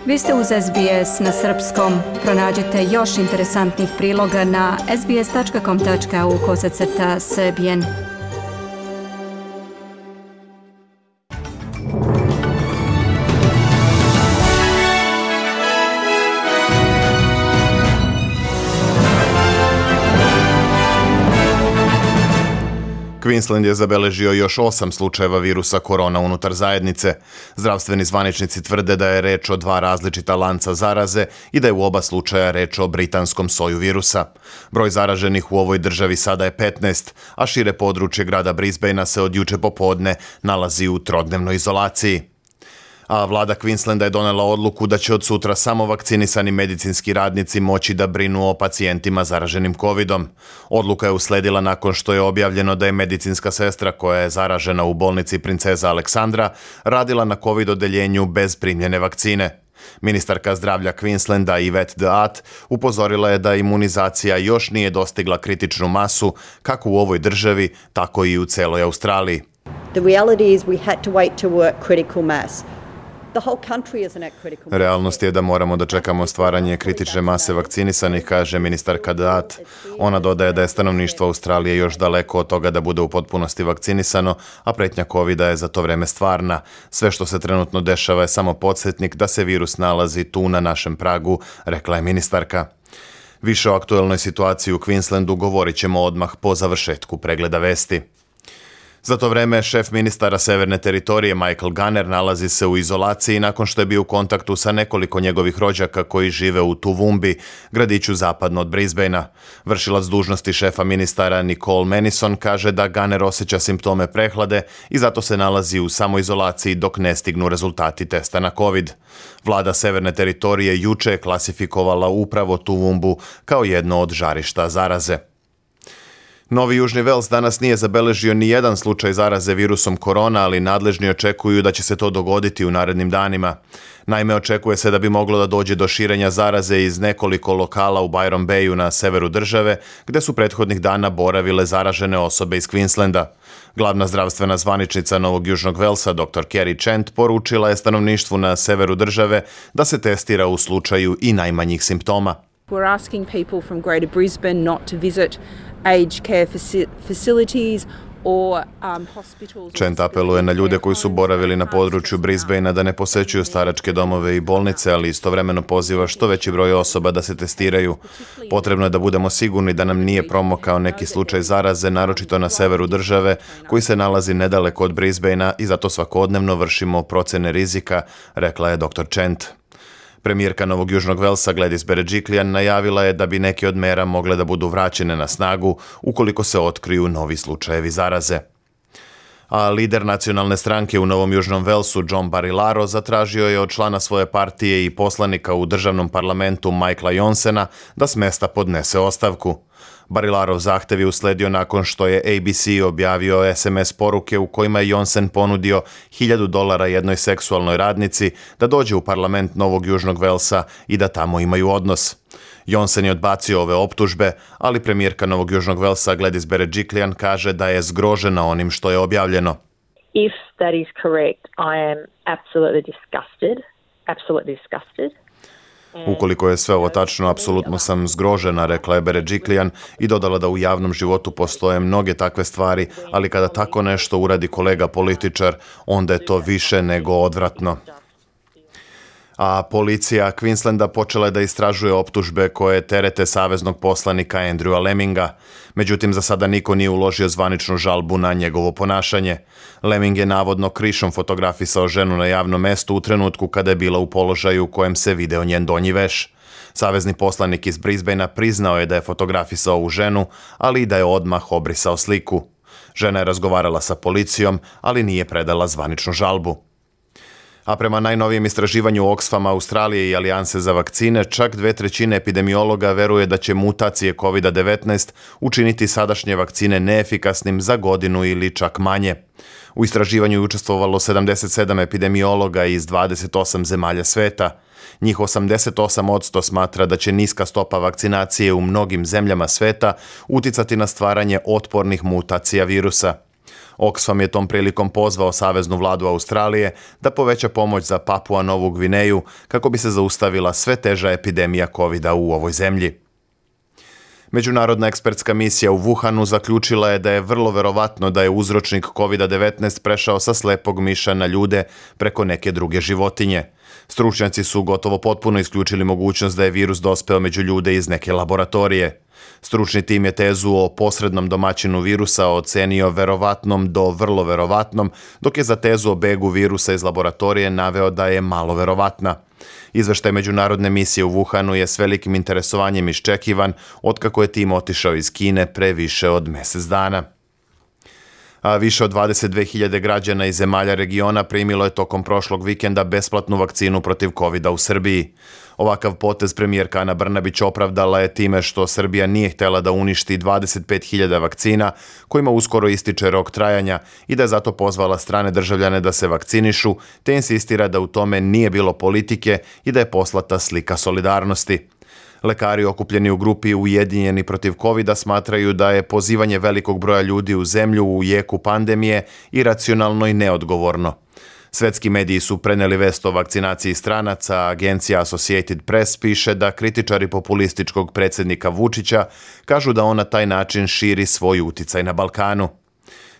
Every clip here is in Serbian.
Vi ste uz SBS na srpskom. Pronađite još interesantnih priloga na sbs.com.au/srbijen. Queensland je zabeležio još 8 slučajeva virusa korona unutar zajednice. Zdravstveni zvaničnici tvrde da je reč o 2 različita lanca zaraze i da je u oba slučaja reč o britanskom soju virusa. Broj zaraženih u ovoj državi sada je 15, a šire područje grada Brisbanea se od juče popodne nalazi u trodnevnoj izolaciji. A vlada Queenslanda je donela odluku da će od sutra samo vakcinisani medicinski radnici moći da brinu o pacijentima zaraženim covidom. Odluka je usledila nakon što je objavljeno da je medicinska sestra koja je zaražena u bolnici Princeza Aleksandra radila na covid odeljenju bez primljene vakcine. Ministarka zdravlja Queenslanda Yvette D'Ath upozorila je da imunizacija još nije dostigla kritičnu masu kako u ovoj državi, tako i u celoj Australiji. The reality is we had to wait to work critical mass. Realnost je da moramo da čekamo stvaranje kritične mase vakcinisanih, kaže ministarka D'Ath. Ona dodaje da je stanovništvo Australije još daleko od toga da bude u potpunosti vakcinisano, a pretnja covida je za to vreme stvarna. Sve što se trenutno dešava je samo podsjetnik da se virus nalazi tu na našem pragu, rekla je ministarka. Više o aktuelnoj situaciji u Queenslandu govorit ćemo odmah po završetku pregleda vesti. Za to vreme šef ministara Severne teritorije Michael Gunner nalazi se u izolaciji nakon što je bio u kontaktu sa nekoliko njegovih rođaka koji žive u Toowoomba, gradiću zapadno od Brisbanea. Vršilac dužnosti šefa ministara Nicole Manison kaže da Gunner osjeća simptome prehlade i zato se nalazi u samoizolaciji dok ne stignu rezultati testa na COVID. Vlada Severne teritorije juče je klasifikovala upravo Toowoomba kao jedno od žarišta zaraze. Novi Južni Vels danas nije zabeležio ni jedan slučaj zaraze virusom korona, ali nadležni očekuju da će se to dogoditi u narednim danima. Naime, očekuje se da bi moglo da dođe do širenja zaraze iz nekoliko lokala u Byron Bayu na severu države, gde su prethodnih dana boravile zaražene osobe iz Queenslanda. Glavna zdravstvena zvaničnica Novog Južnog Velsa, dr. Kerry Chant, poručila je stanovništvu na severu države da se testira u slučaju i najmanjih simptoma. We're asking people from Greater Brisbane not to visit aged care facilities or hospitals. Chant apeluje na ljude koji su boravili na području Brisbanea da ne posećuju staračke domove i bolnice, ali istovremeno poziva što veći broj osoba da se testiraju. Potrebno je da budemo sigurni da nam nije promokao neki slučaj zaraze, naročito na severu države, koji se nalazi nedaleko od Brisbanea i zato svakodnevno vršimo procene rizika, rekla je dr. Chant. Premijerka Novog Južnog Velsa Gladys Berejiklian najavila je da bi neke od mera mogle da budu vraćene na snagu ukoliko se otkriju novi slučajevi zaraze. A lider nacionalne stranke u Novom Južnom Velsu John Barilaro zatražio je od člana svoje partije i poslanika u državnom parlamentu Michaela Johnsona da s mesta podnese ostavku. Barilarov zahtev je usledio nakon što je ABC objavio SMS poruke u kojima je Johnson ponudio $1,000 jednoj seksualnoj radnici da dođe u parlament Novog Južnog Velsa i da tamo imaju odnos. Johnson je odbacio ove optužbe, ali premijerka Novog Južnog Velsa Gladys Berejiklian kaže da je zgrožena onim što je objavljeno. If that is correct, I am absolutely disgusted. Ukoliko je sve ovo tačno, apsolutno sam zgrožena, rekla je Berejiklian i dodala da u javnom životu postoje mnoge takve stvari, ali kada tako nešto uradi kolega političar, onda je to više nego odvratno. A policija Queenslanda počela je da istražuje optužbe koje terete saveznog poslanika Andrewa Lemminga. Međutim, za sada niko nije uložio zvaničnu žalbu na njegovo ponašanje. Lemming je navodno krišom fotografisao ženu na javnom mestu u trenutku kada je bila u položaju u kojem se video njen donji veš. Savezni poslanik iz Brisbanea priznao je da je fotografisao ovu ženu, ali i da je odmah obrisao sliku. Žena je razgovarala sa policijom, ali nije predala zvaničnu žalbu. A prema najnovijem istraživanju Oxfama Australije i Alijanse za vakcine, čak 2/3 epidemiologa veruje da će mutacije COVID-19 učiniti sadašnje vakcine neefikasnim za godinu ili čak manje. U istraživanju je učestvovalo 77 epidemiologa iz 28 zemalja sveta. Njih 88% smatra da će niska stopa vakcinacije u mnogim zemljama sveta uticati na stvaranje otpornih mutacija virusa. Oxfam je tom prilikom pozvao saveznu vladu Australije da poveća pomoć za Papua Novu Gvineju kako bi se zaustavila sve teža epidemija COVID-a u ovoj zemlji. Međunarodna ekspertska misija u Wuhanu zaključila je da je vrlo verovatno da je uzročnik COVID-19 prešao sa slepog miša na ljude preko neke druge životinje. Stručnjaci su gotovo potpuno isključili mogućnost da je virus dospeo među ljude iz neke laboratorije. Stručni tim je tezu o posrednom domaćinu virusa ocenio verovatnom do vrlo verovatnom, dok je za tezu o begu virusa iz laboratorije naveo da je malo verovatna. Izveštaj međunarodne misije u Wuhanu je s velikim interesovanjem iščekivan otkako je tim otišao iz Kine pre više od mjesec dana. A više od 22.000 građana iz zemalja regiona primilo je tokom prošlog vikenda besplatnu vakcinu protiv COVID-a u Srbiji. Ovakav potez premijerka Ana Brnabić opravdala je time što Srbija nije htjela da uništi 25.000 vakcina kojima uskoro ističe rok trajanja i da je zato pozvala strane državljane da se vakcinišu, te insistira da u tome nije bilo politike i da je poslata slika solidarnosti. Lekari okupljeni u grupi Ujedinjeni protiv COVID-a smatraju da je pozivanje velikog broja ljudi u zemlju u jeku pandemije iracionalno i neodgovorno. Svetski mediji su preneli vest o vakcinaciji stranaca, a agencija Associated Press piše da kritičari populističkog predsjednika Vučića kažu da on na taj način širi svoj uticaj na Balkanu.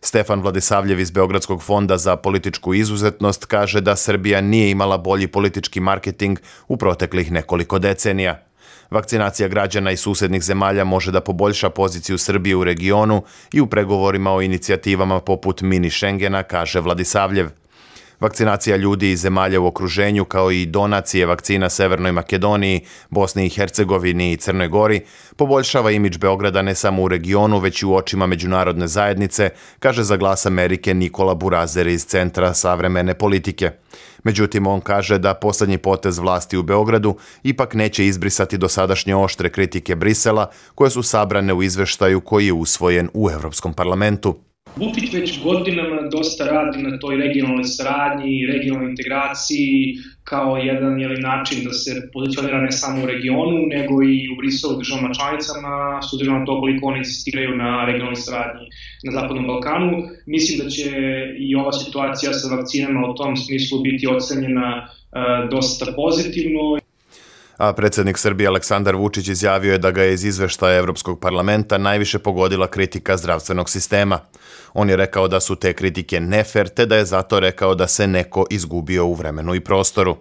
Stefan Vladisavljev iz Beogradskog fonda za političku izuzetnost kaže da Srbija nije imala bolji politički marketing u proteklih nekoliko decenija. Vakcinacija građana iz susjednih zemalja može da poboljša poziciju Srbije u regionu i u pregovorima o inicijativama poput mini Schengena, kaže Vladisavljev. Vakcinacija ljudi iz zemalja u okruženju kao i donacije vakcina Severnoj Makedoniji, Bosni i Hercegovini i Crnoj Gori poboljšava imidž Beograda ne samo u regionu, već i u očima međunarodne zajednice, kaže za Glas Amerike Nikola Burazer iz Centra savremene politike. Međutim, on kaže da posljednji potez vlasti u Beogradu ipak neće izbrisati dosadašnje oštre kritike Brisela, koje su sabrane u izveštaju koji je usvojen u Europskom parlamentu. Vučić već godinama dosta radi na toj regionalnoj saradnji, regionalnoj integraciji kao jedan način da se pozicionira ne samo u regionu, nego i u Briselu državama članicama, s obzirom na to koliko oni insistiraju na regionalnoj saradnji na Zapadnom Balkanu. Mislim da će i ova situacija sa vakcinama u tom smislu biti ocenjena dosta pozitivno. A predsjednik Srbije Aleksandar Vučić izjavio je da ga je iz izveštaja Europskog parlamenta najviše pogodila kritika zdravstvenog sistema. On je rekao da su te kritike nefer, te da je zato rekao da se neko izgubio u vremenu i prostoru.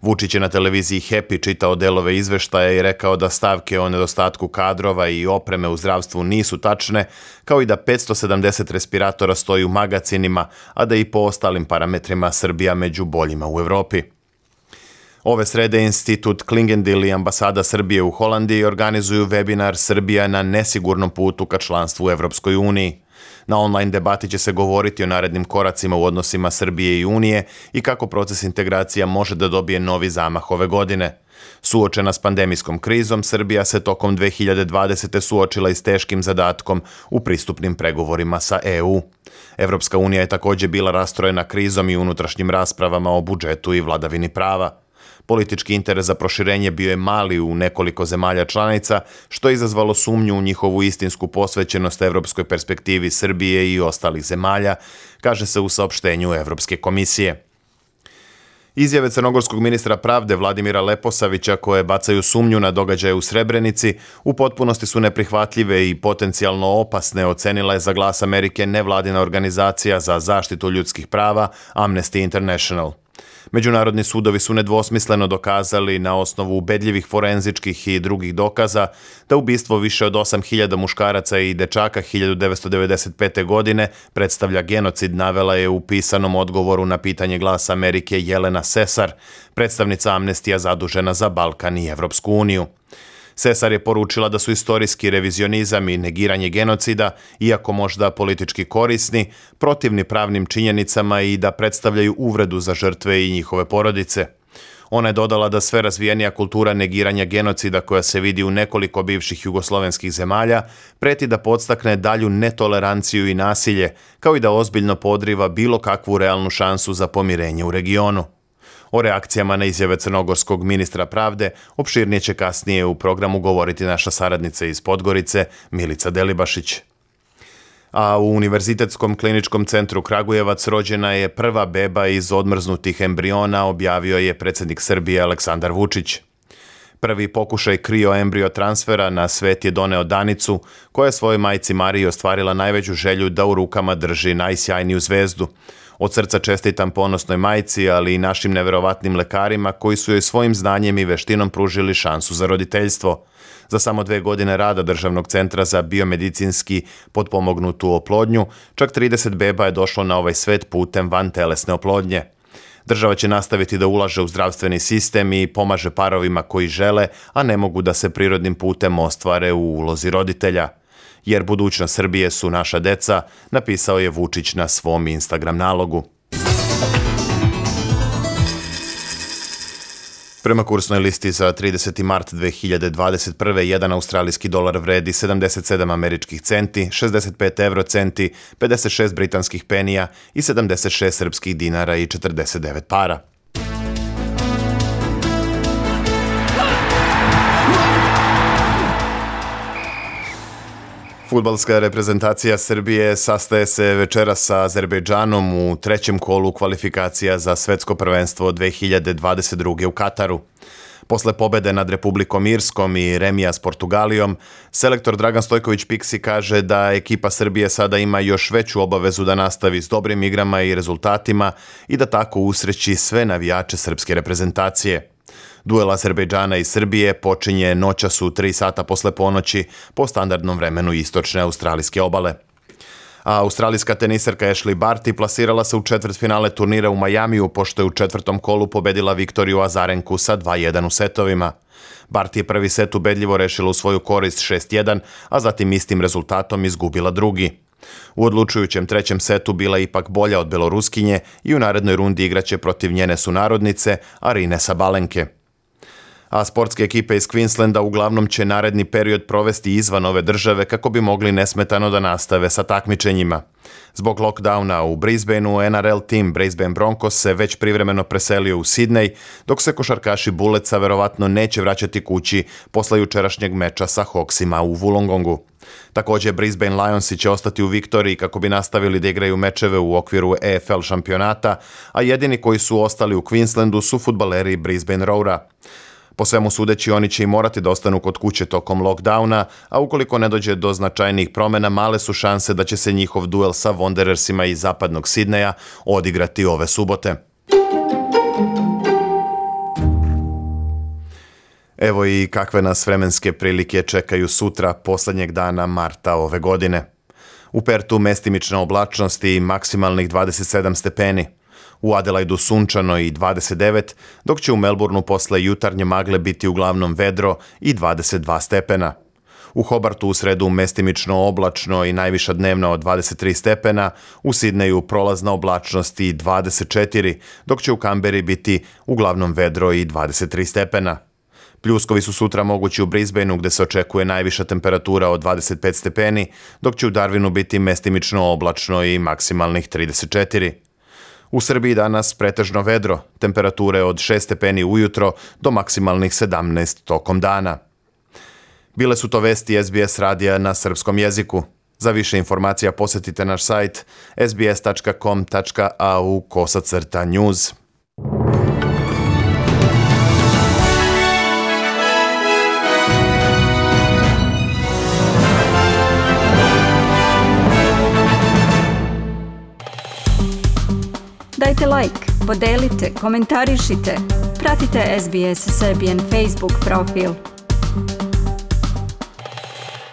Vučić je na televiziji Happy čitao delove izveštaja i rekao da stavke o nedostatku kadrova i opreme u zdravstvu nisu tačne, kao i da 570 respiratora stoji u magacinima, a da i po ostalim parametrima Srbija među boljima u Evropi. Ove srede Institut Klingendil i ambasada Srbije u Holandiji organizuju webinar Srbija na nesigurnom putu ka članstvu u Evropskoj uniji. Na online debati će se govoriti o narednim koracima u odnosima Srbije i Unije i kako proces integracija može da dobije novi zamah ove godine. Suočena s pandemijskom krizom, Srbija se tokom 2020. suočila i s teškim zadatkom u pristupnim pregovorima sa EU. Evropska unija je također bila rastrojena krizom i unutrašnjim raspravama o budžetu i vladavini prava. Politički interes za proširenje bio je mali u nekoliko zemalja članica, što je izazvalo sumnju u njihovu istinsku posvećenost evropskoj perspektivi Srbije i ostalih zemalja, kaže se u saopštenju Evropske komisije. Izjave crnogorskog ministra pravde Vladimira Leposavića, koje bacaju sumnju na događaje u Srebrenici, u potpunosti su neprihvatljive i potencijalno opasne, ocenila je za Glas Amerike nevladina organizacija za zaštitu ljudskih prava Amnesty International. Međunarodni sudovi su nedvosmisleno dokazali na osnovu ubedljivih forenzičkih i drugih dokaza da ubistvo više od 8.000 muškaraca i dečaka 1995. godine predstavlja genocid, navela je u pisanom odgovoru na pitanje Glasa Amerike Jelena Sesar, predstavnica Amnestija zadužena za Balkan i Evropsku uniju. Sesar je poručila da su istorijski revizionizam i negiranje genocida, iako možda politički korisni, protivni pravnim činjenicama i da predstavljaju uvredu za žrtve i njihove porodice. Ona je dodala da sve razvijenija kultura negiranja genocida koja se vidi u nekoliko bivših jugoslovenskih zemalja preti da podstakne dalju netoleranciju i nasilje, kao i da ozbiljno podriva bilo kakvu realnu šansu za pomirenje u regionu. O reakcijama na izjave crnogorskog ministra pravde opširnije će kasnije u programu govoriti naša saradnica iz Podgorice, Milica Delibašić. A u Univerzitetskom kliničkom centru Kragujevac rođena je prva beba iz odmrznutih embriona, objavio je predsjednik Srbije Aleksandar Vučić. Prvi pokušaj krioembrio transfera na svet je doneo Danicu, koja je svojoj majci Mariji ostvarila najveću želju da u rukama drži najsjajniju zvezdu. Od srca čestitam ponosnoj majci, ali i našim neverovatnim lekarima koji su joj svojim znanjem i veštinom pružili šansu za roditeljstvo. Za samo 2 godine rada Državnog centra za biomedicinski potpomognutu oplodnju, čak 30 beba je došlo na ovaj svet putem vantelesne oplodnje. Država će nastaviti da ulaže u zdravstveni sistem i pomaže parovima koji žele, a ne mogu da se prirodnim putem ostvare u ulozi roditelja. Jer budućnost Srbije su naša deca, napisao je Vučić na svom Instagram nalogu. Prema kursnoj listi za 30. mart 2021. jedan australijski dolar vredi 77 američkih centi, 65 eurocenti, 56 britanskih penija i 76 srpskih dinara i 49 para. Fudbalska reprezentacija Srbije sastaje se večeras sa Azerbejdžanom u 3. kolu kvalifikacija za svetsko prvenstvo 2022. u Kataru. Posle pobede nad Republikom Irskom i remija s Portugalijom, selektor Dragan Stojković Piksi kaže da ekipa Srbije sada ima još veću obavezu da nastavi s dobrim igrama i rezultatima i da tako usreći sve navijače srpske reprezentacije. Duel Azerbejdžana i Srbije počinje noćas u 3 sata posle ponoći po standardnom vremenu istočne australijske obale. A australijska teniserka Ashley Barty plasirala se u četvrtfinale turnira u Majamiju pošto je u 4. kolu pobedila Viktoriju Azarenku sa 2-1 u setovima. Barty je prvi set ubedljivo rešila u svoju korist 6-1, a zatim istim rezultatom izgubila drugi. U odlučujućem 3. setu bila je ipak bolja od Beloruskinje i u narednoj rundi igraće protiv njene sunarodnice Arine Sabalenke. A sportske ekipe iz Queenslanda uglavnom će naredni period provesti izvan ove države kako bi mogli nesmetano da nastave sa takmičenjima. Zbog lockdowna u Brisbaneu, NRL tim Brisbane Broncos se već privremeno preselio u Sidney, dok se košarkaši Bulletsa verovatno neće vraćati kući posle jučerašnjeg meča sa Hawksima u Wollongongu. Također Brisbane Lionsi će ostati u Viktoriji kako bi nastavili da igraju mečeve u okviru EFL šampionata, a jedini koji su ostali u Queenslandu su fudbaleri Brisbane Roara. Po svemu sudeći, oni će i morati da ostanu kod kuće tokom lockdowna, a ukoliko ne dođe do značajnijih promjena, male su šanse da će se njihov duel sa Wanderersima iz zapadnog Sidneja odigrati ove subote. Evo i kakve nas vremenske prilike čekaju sutra, posljednjeg dana marta ove godine. U Pertu mestimična oblačnost i maksimalnih 27 stepeni. U Adelaidu sunčano i 29, dok će u Melbourneu posle jutarnje magle biti uglavnom vedro i 22 stepena. U Hobartu u sredu mestimično oblačno i najviša dnevna od 23 stepena, u Sidneju prolazna oblačnost i 24, dok će u Kamberi biti uglavnom vedro i 23 stepena. Pljuskovi su sutra mogući u Brisbaneu gde se očekuje najviša temperatura od 25 stepeni, dok će u Darwinu biti mestimično oblačno i maksimalnih 34. U Srbiji danas pretežno vedro, temperature od 6 stepeni ujutro do maksimalnih 17 tokom dana. Bile su to vesti SBS radija na srpskom jeziku. Za više informacija posjetite naš sajt sbs.com.au/news. Dajte like, podelite, komentarišite, pratite SBS Serbian Facebook profil.